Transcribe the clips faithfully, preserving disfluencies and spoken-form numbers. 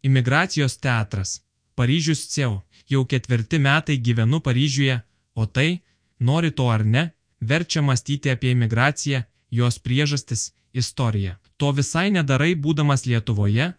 Imigracijos teatras. Paryžius C E U. Jau ketvirti metai gyvenu Paryžiuje, o tai, nori to ar ne, verčia mąstyti apie imigraciją, jos priežastis, istoriją. To visai nedarai būdamas Lietuvoje,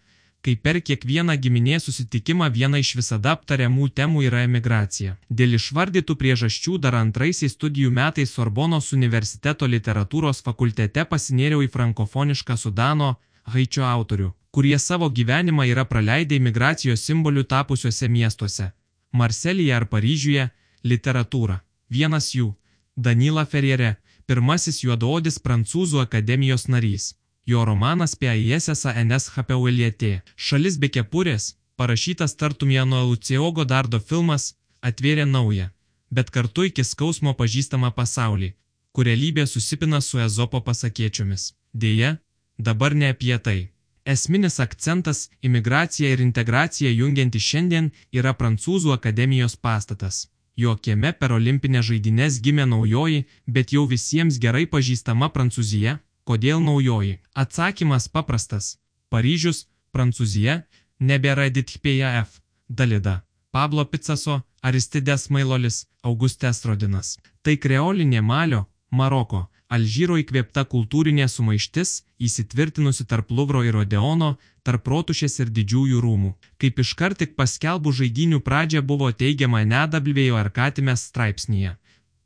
kai per kiekvieną giminės susitikimą viena iš visada aptariamų temų yra imigracija. Dėl išvardytų priežasčių dar antraisiais studijų metais Sorbonos universiteto literatūros fakultete pasinėriau į frankofonišką Sudano, Haičio autorių, kurie savo gyvenimą yra praleidę imigracijos simbolių tapusiuose miestuose – Marselyje ar Paryžiuje – literatūrą. Vienas jų – Danila Ferriere, pirmasis juodaodis Prancūzų akademijos narys. Jo romanas Países sans Hapeulieté. Šalis be kepurės, parašytas tartum Jano Lucio Godardo filmas, atvėrė naują, bet kartu iki skausmo pažįstamą pasaulį, kur realybė susipina su Ezopo pasakėčiomis. Deja, dabar ne apie tai. Esminis akcentas – imigracija ir integracija jungianti šiandien yra Prancūzų akademijos pastatas. Jo kieme per olimpinės žaidynes gimė naujoji, bet jau visiems gerai pažįstama Prancūzija. Kodėl naujoji? Atsakymas paprastas. Paryžius, Prancūzija, nebėra Edith Piaf, Dalida, Pablo Picasso, Aristides Mailolis, Augustas Rodinas. Tai kreolinė Malio, Maroko, Alžyro įkvėpta kultūrinė sumaištis, įsitvirtinusi tarp Luvro ir Odeono, tarp Rotušės ir Didžiųjų rūmų. Kaip iškart tik paskelbų žaidynių pradžia buvo teigiama Nedabljvėjo Arkatimės straipsnyje.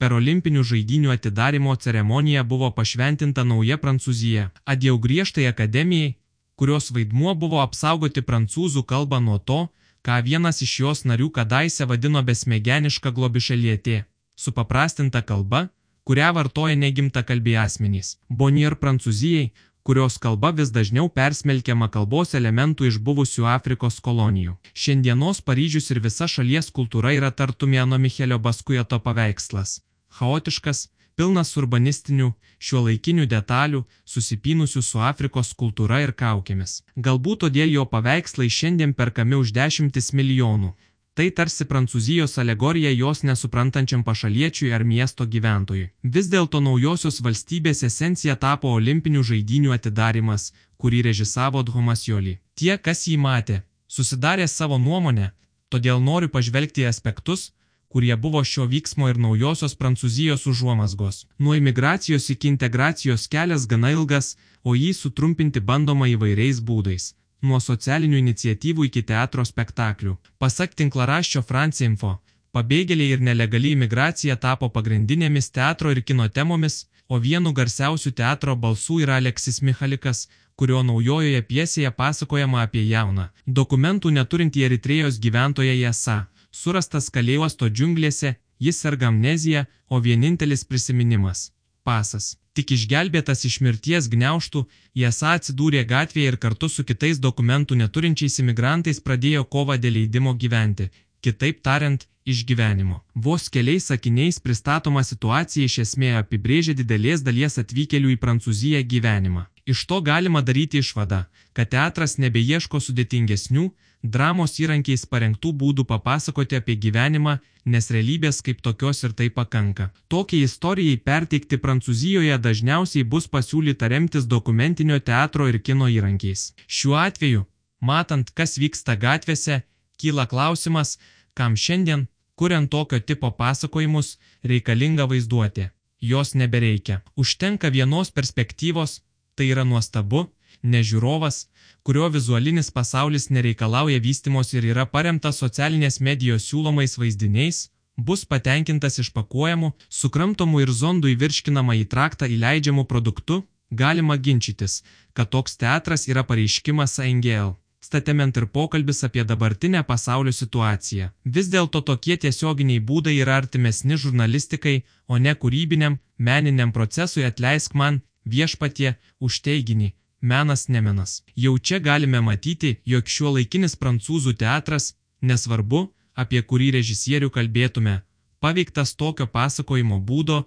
Per olimpinių žaidynių atidarimo ceremoniją buvo pašventinta nauja Prancūzija. Adjau griežtai akademijai, kurios vaidmuo buvo apsaugoti prancūzų kalbą nuo to, ką vienas iš jos narių kadaise vadino besmegeniška globišalietė, supaprastinta kalba, kurią vartoja negimtakalbiai asmenys. Bonnier Prancūzijai, kurios kalba vis dažniau persmelkiama kalbos elementų iš buvusių Afrikos kolonijų. Šiandienos Paryžius ir visa šalies kultūra yra tartum Jano Michelio Baskueto paveikslas. Chaotiškas, pilnas urbanistinių, šiuolaikinių detalių, susipynusių su Afrikos kultūra ir kaukėmis. Galbūt todėl jo paveikslai šiandien perkami už dešimtis milijonų. Tai tarsi Prancūzijos alegorija jos nesuprantančiam pašaliečiui ar miesto gyventojui. Vis dėlto naujosios valstybės esencija tapo olimpinių žaidynių atidarimas, kurį režisavo Dhomasjoli. Tie, kas jį matė, susidarė savo nuomonę, todėl noriu pažvelgti į aspektus, kurie buvo šio vyksmo ir naujosios Prancūzijos užuomazgos. Nuo imigracijos iki integracijos kelias gana ilgas, o jį sutrumpinti bandoma įvairiais būdais. Nuo socialinių iniciatyvų iki teatro spektaklių. Pasak tinklaraščio France Info, pabėgėliai ir nelegali imigracija tapo pagrindinėmis teatro ir kino temomis, o vienu garsiausių teatro balsų yra Aleksis Michalikas, kurio naujojoje pjesėje pasakojama apie jauną, dokumentų neturintį Eritrėjos gyventoją Jesą. Surastas kalėjosto džiunglėse, jis serga amnezija, o vienintelis prisiminimas – pasas. Tik išgelbėtas iš mirties gniaužtų, Jesą atsidūrė gatvėje ir kartu su kitais dokumentų neturinčiais imigrantais pradėjo kovą dėl leidimo gyventi, kitaip tariant, išgyvenimo. Vos keliais sakiniais pristatoma situacija iš esmės apibrėžia didelės dalies atvykėlių į Prancūziją gyvenimą. Iš to galima daryti išvadą, kad teatras nebeieško sudėtingesnių, dramos įrankiais parengtų būdų papasakoti apie gyvenimą, nes realybės kaip tokios ir tai pakanka. Tokiai istorijai perteikti Prancūzijoje dažniausiai bus pasiūlyta remtis dokumentinio teatro ir kino įrankiais. Šiuo atveju, matant, kas vyksta gatvėse, kyla klausimas, kam šiandien, kuriant tokio tipo pasakojimus, reikalinga vaizduotė. Jos nebereikia. Užtenka vienos perspektyvos, tai yra nuostabu, ne žiūrovas, kurio vizualinis pasaulis nereikalauja vystymos ir yra paremtas socialinės medijos siūlomais vaizdiniais, bus patenkintas išpakuojamu, sukramtomu ir zondų įvirškinamą į traktą įleidžiamu produktu, galima ginčytis, kad toks teatras yra pareiškimas Angel, statement ir pokalbis apie dabartinę pasaulio situaciją. Vis dėlto tokie tiesioginiai būdai yra artimesni žurnalistikai, o ne kūrybiniam, meniniam procesui atleisk man, viešpatie, už teiginį. Menas nemenas. Jau čia galime matyti, jog šiuolaikinis prancūzų teatras, nesvarbu, apie kurį režisierių kalbėtume, paveiktas tokio pasakojimo būdo,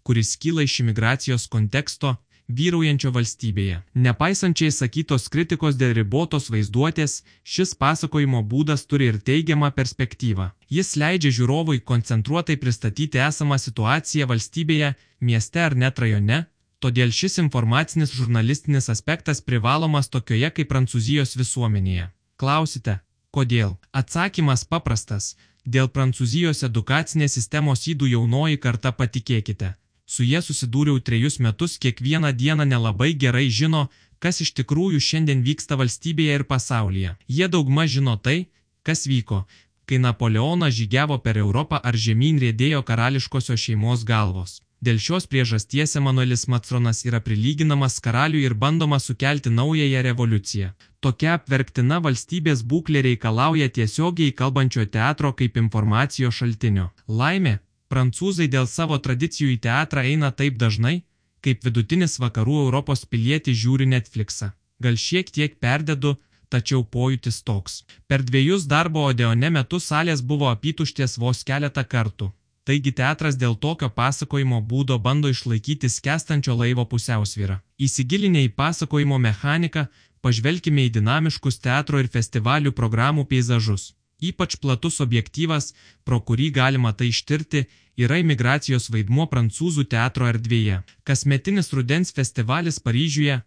kuris kyla iš imigracijos konteksto, vyraujančio valstybėje. Nepaisančiai sakytos kritikos dėl ribotos vaizduotės, šis pasakojimo būdas turi ir teigiamą perspektyvą. Jis leidžia žiūrovui koncentruotai pristatyti esamą situaciją valstybėje, mieste ar net rajone, todėl šis informacinis žurnalistinis aspektas privalomas tokioje kaip Prancūzijos visuomenėje. Klausite, kodėl? Atsakymas paprastas. Dėl Prancūzijos edukacinės sistemos ydų jaunoji karta, patikėkite. Su jie susidūriau trejus metus, kiekvieną dieną nelabai gerai žino, kas iš tikrųjų šiandien vyksta valstybėje ir pasaulyje. Jie daugmaž žino tai, kas vyko, kai Napoleonas žygiavo per Europą ar žemyn riedėjo karališkosios šeimos galvos. Dėl šios priežasties Emanuelis Macronas yra prilyginamas karaliui ir bandoma sukelti naująją revoliuciją. Tokia apverktina valstybės būklė reikalauja tiesiogiai kalbančio teatro kaip informacijos šaltinio. Laimė, prancūzai dėl savo tradicijų į teatrą eina taip dažnai, kaip vidutinis vakarų Europos pilietis žiūri Netflixą. Gal šiek tiek perdedu, tačiau pojūtis toks. Per dviejus darbo Odeone metus salės buvo apytuštės vos keletą kartų. Taigi teatras dėl tokio pasakojimo būdo bando išlaikyti skęstančio laivo pusiausvyrą. Įsigilinę į pasakojimo mechaniką, pažvelkime į dinamiškus teatro ir festivalių programų peizažus. Ypač platus objektyvas, pro kurį galima tai ištirti, yra imigracijos vaidmuo prancūzų teatro erdvėje. Kasmetinis rudens festivalis Paryžiuje,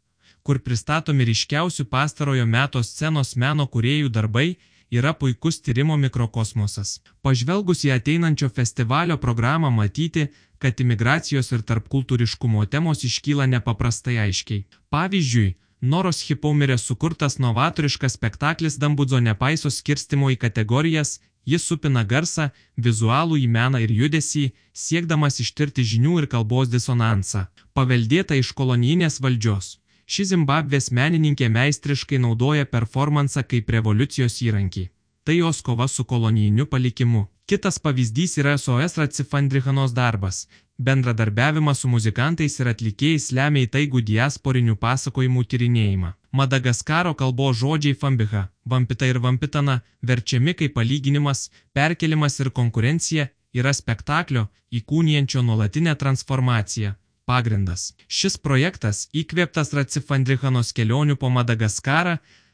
kur pristatomi ryškiausių pastarojo meto scenos meno kūrėjų darbai, yra puikus tyrimo mikrokosmosas. Pažvelgus į ateinančio festivalio programą matyti, kad imigracijos ir tarpkultūriškumo temos iškyla nepaprastai aiškiai. Pavyzdžiui, Noros Hipaumirės sukurtas novatoriškas spektaklis Dambudzo nepaiso skirstimo į kategorijas, jis supina garsą, vizualų į meną ir judesį, siekdamas ištirti žinių ir kalbos disonansą, paveldėtą iš kolonijinės valdžios. Ši Zimbabvės menininkė meistriškai naudoja performansą kaip revoliucijos įrankį. Tai jos kova su kolonijiniu palikimu. Kitas pavyzdys yra S O S Ratsifandrihanos darbas. Bendradarbiavimas su muzikantais ir atlikėjais lemia įtaigų diasporinių pasakojimų tyrinėjimą. Madagaskaro kalbos žodžiai fambiha, vampita ir vampitana, verčiami kaip palyginimas, perkelimas ir konkurencija, yra spektaklio, įkūnijančio nuolatinę transformaciją pagrindas. Šis projektas, įkvėptas Ratsifandrihanos kelionių po Madagaskarą,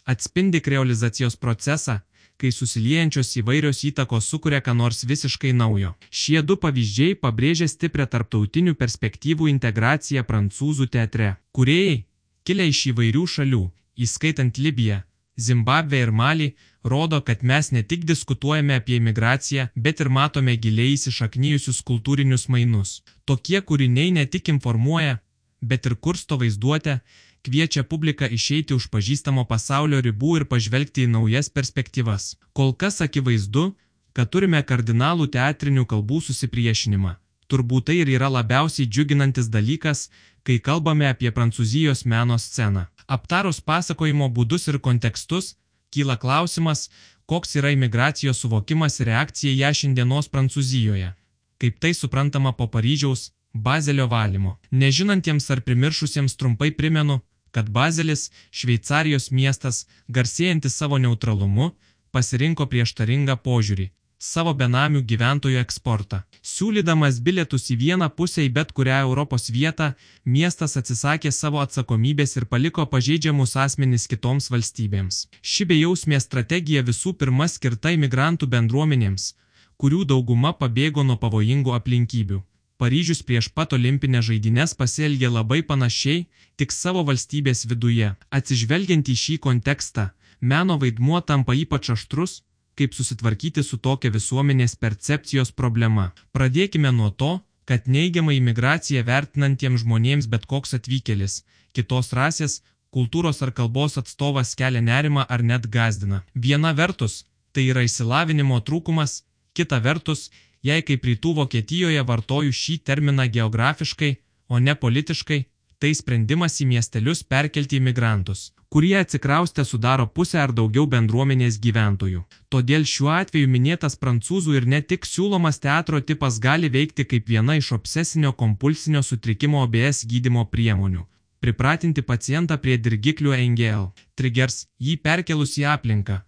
atspindi kreolizacijos procesą, kai susiliejančios įvairios įtakos sukuria ką nors visiškai naujo. Šie du pavyzdžiai pabrėžia stiprią tarptautinių perspektyvų integraciją prancūzų teatre. Kūrėjai, kilę iš įvairių šalių, įskaitant Libiją, Zimbabvę ir Malį, rodo, kad mes ne tik diskutuojame apie imigraciją, bet ir matome giliai įsišaknijusius kultūrinius mainus. Tokie kūriniai ne tik informuoja, bet ir kursto vaizduotę, kviečia publiką išeiti už pažįstamo pasaulio ribų ir pažvelgti į naujas perspektyvas. Kol kas akivaizdu, kad turime kardinalų teatrinių kalbų susipriešinimą. Turbūt tai ir yra labiausiai džiuginantis dalykas, kai kalbame apie Prancūzijos meno sceną. Aptarus pasakojimo būdus ir kontekstus, kyla klausimas, koks yra imigracijos suvokimas ir reakcija ją šiandienos Prancūzijoje. Kaip tai suprantama po Paryžiaus, Bazelio valymo. Nežinantiems ar primiršusiems trumpai primenu, kad Bazelis, Šveicarijos miestas, garsėjantis savo neutralumu, pasirinko prieštaringą požiūrį – savo benamių gyventojų eksportą. Siūlydamas bilietus į vieną pusę į bet kurią Europos vietą, miestas atsisakė savo atsakomybės ir paliko pažeidžiamus asmenis kitoms valstybėms. Ši bejausmė strategija visų pirma skirta imigrantų bendruomenėms, kurių dauguma pabėgo nuo pavojingų aplinkybių. Paryžius prieš pat olimpinės žaidynes pasielgė labai panašiai, tik savo valstybės viduje. Atsižvelgiant į šį kontekstą, meno vaidmuo tampa ypač aštrus, kaip susitvarkyti su tokia visuomenės percepcijos problema. Pradėkime nuo to, kad neigiamą imigraciją vertinantiems žmonėms bet koks atvykėlis, kitos rasės, kultūros ar kalbos atstovas kelia nerimą ar net gąsdina. Viena vertus, tai yra išsilavinimo trūkumas, kita vertus, jei kaip rytų Vokietijoje vartoju šį terminą geografiškai, o ne politiškai, tai sprendimas į miestelius perkelti imigrantus, kurie atsikraustę sudaro pusę ar daugiau bendruomenės gyventojų. Todėl šiuo atveju minėtas prancūzų ir ne tik siūlomas teatro tipas gali veikti kaip viena iš obsesinio kompulsinio sutrikimo O B S gydymo priemonių. Pripratinti pacientą prie dirgiklių E N G L. Triggers jį perkelus į aplinką,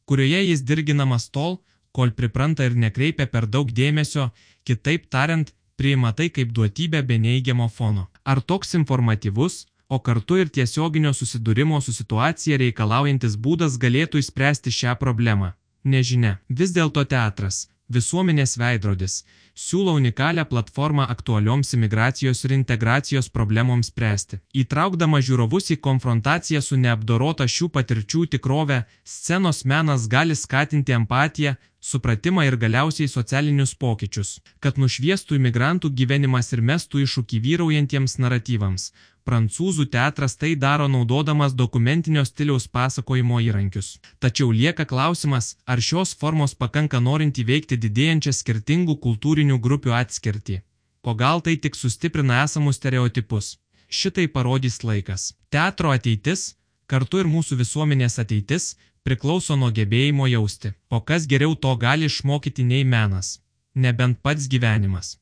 kurioje jis dirginamas tol, kol pripranta ir nekreipia per daug dėmesio, kitaip tariant, priima tai kaip duotybę be neigiamo fono. Ar toks informatyvus, o kartu ir tiesioginio susidūrimo su situacija reikalaujantis būdas galėtų išspręsti šią problemą? Nežinia. Vis dėlto teatras, Visuomenės veidrodis siūlo unikalią platformą aktualioms imigracijos ir integracijos problemoms spręsti. Įtraukdama žiūrovus į konfrontaciją su neapdorota šių patirčių tikrove, scenos menas gali skatinti empatiją, supratimą ir galiausiai socialinius pokyčius, kad nušviestų imigrantų gyvenimas ir mestų iššūkį vyraujantiems naratyvams. Prancūzų teatras tai daro naudodamas dokumentinio stiliaus pasakojimo įrankius. Tačiau lieka klausimas, ar šios formos pakanka norint įveikti didėjančią skirtingų kultūrinių grupių atskirtį. O gal tai tik sustiprina esamus stereotipus? Šitai parodys laikas. Teatro ateitis, kartu ir mūsų visuomenės ateitis, priklauso nuo gebėjimo jausti. O kas geriau to gali išmokyti nei menas? Nebent pats gyvenimas.